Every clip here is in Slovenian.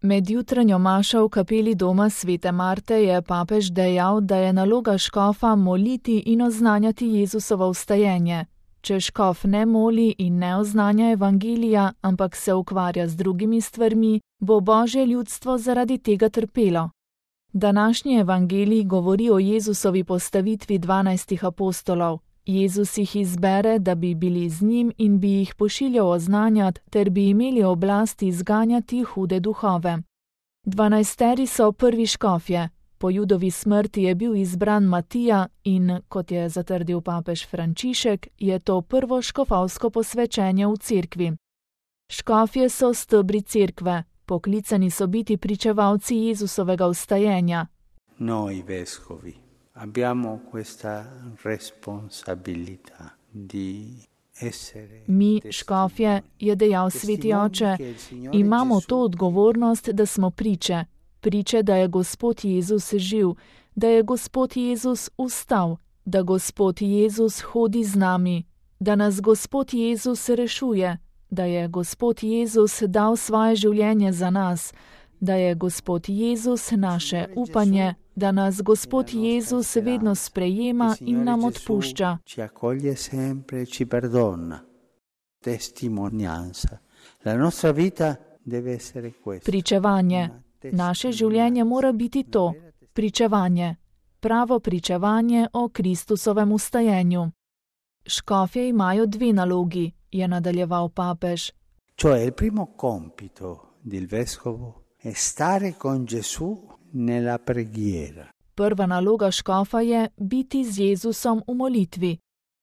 Med jutranjo mašo v kapeli doma svete Marte je papež dejal, da je naloga škofa moliti in oznanjati Jezusovo vstajenje. Če škof ne moli in ne oznanja evangelija, ampak se ukvarja z drugimi stvarmi, bo Božje ljudstvo zaradi tega trpelo. Današnji evangelij govori o Jezusovi postavitvi 12 apostolov. Jezus jih izbere, da bi bili z njim in bi jih pošiljal oznanjati, ter bi imeli oblast izganjati hude duhove. 12 so prvi škofje. Po Judovi smrti je bil izbran Matija in, kot je zatrdil papež Frančišek, je to prvo škofovsko posvečenje v cerkvi. Škofje so stebri cerkve, poklicani so biti pričevalci Jezusovega vstajenja. Noi vescovi abbiamo questa responsabilità di essere. Mi, škofje, je dejal sveti oče, imamo to odgovornost, da smo priče, da je Gospod Jezus živ, da je Gospod Jezus vstal, da Gospod Jezus hodi z nami, da nas Gospod Jezus rešuje, da je Gospod Jezus dal svoje življenje za nas, da je Gospod Jezus naše upanje, da nas Gospod Jezus vedno sprejema in nam odpušča. Pričevanje. Naše življenje mora biti to, pričevanje. Pravo pričevanje o Kristusovem vstajenju. Škofje imajo dve nalogi, je nadaljeval papež. Cioè il primo compito del vescovo è stare con Gesù nella preghiera. Prva naloga škofa je biti z Jezusom v molitvi.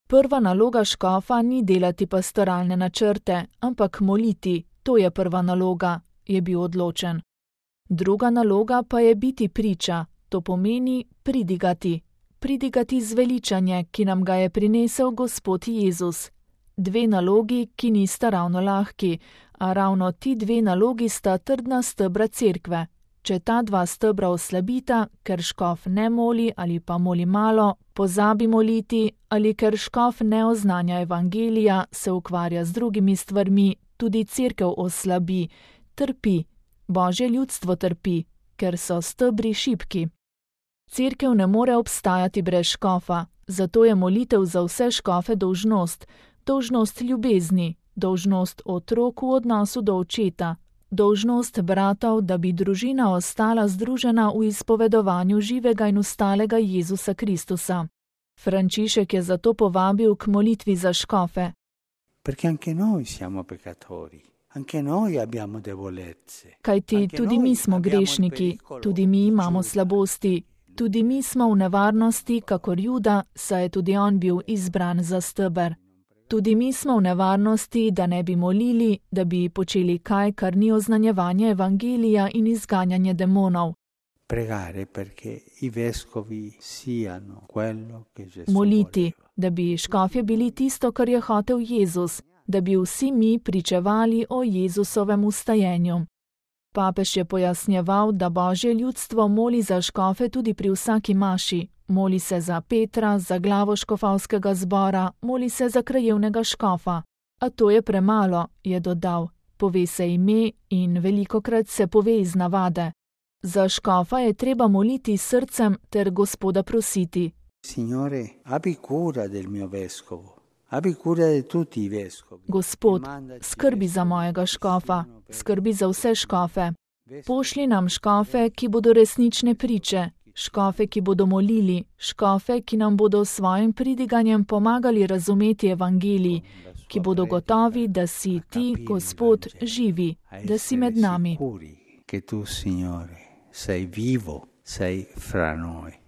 Prva naloga škofa ni delati pastoralne načrte, ampak moliti, to je prva naloga, je bil odločen. Druga naloga pa je biti priča, to pomeni pridigati. Pridigati zveličanje, ki nam ga je prinesel Gospod Jezus. Dve nalogi, ki nista ravno lahki, a ravno ti dve nalogi sta trdna stebra cerkve. Če ta dva stebra oslabita, ker škof ne moli ali pa moli malo, pozabi moliti, ali ker škof ne oznanja evangelija, se ukvarja z drugimi stvarmi, tudi cerkev oslabi, trpi. Božje ljudstvo trpi, ker so stebri šibki. Cerkev ne more obstajati brez škofa, zato je molitev za vse škofe dolžnost, dolžnost ljubezni, dolžnost otrok v odnosu do očeta, dolžnost bratov, da bi družina ostala združena v izpovedovanju živega in ustalega Jezusa Kristusa. Frančišek je zato povabil k molitvi za škofe. Perché anche noi siamo peccatori. Anche noi abbiamo debolezze. Kajti tudi mi smo grešniki, tudi mi imamo slabosti, tudi mi smo v nevarnosti, kakor Juda, saj je tudi on bil izbran za steber. Tudi mi smo v nevarnosti, da ne bi molili, da bi počeli kaj, kar ni oznanjevanje evangelija in izganjanje demonov. Pregare perché i vescovi siano quello che Gesù moliti, da bi škofje bili tisto, kar je hotel Jezus, da bi vsi mi pričevali o Jezusovem vstajenju. Papež je pojasnjeval, da Božje ljudstvo moli za škofe tudi pri vsaki maši. Moli se za Petra, za glavo škofovskega zbora, moli se za krajevnega škofa. A to je premalo, je dodal. Pove se ime in velikokrat se pove iz navade. Za škofa je treba moliti s srcem ter Gospoda prositi. Signore, abbi cura del mio vescovo. Abbi cura di tutti i vescovi. Gospod, skrbi za mojega škofa, skrbi za vse škofe. Pošlji nam škofe, ki bodo resnične priče, škofe, ki bodo molili, škofe, ki nam bodo s svojim pridiganjem pomagali razumeti evangelij, ki bodo gotovi, da si ti, Gospod, živi, da si med nami. Che tu, Signore, sei vivo, sei fra noi.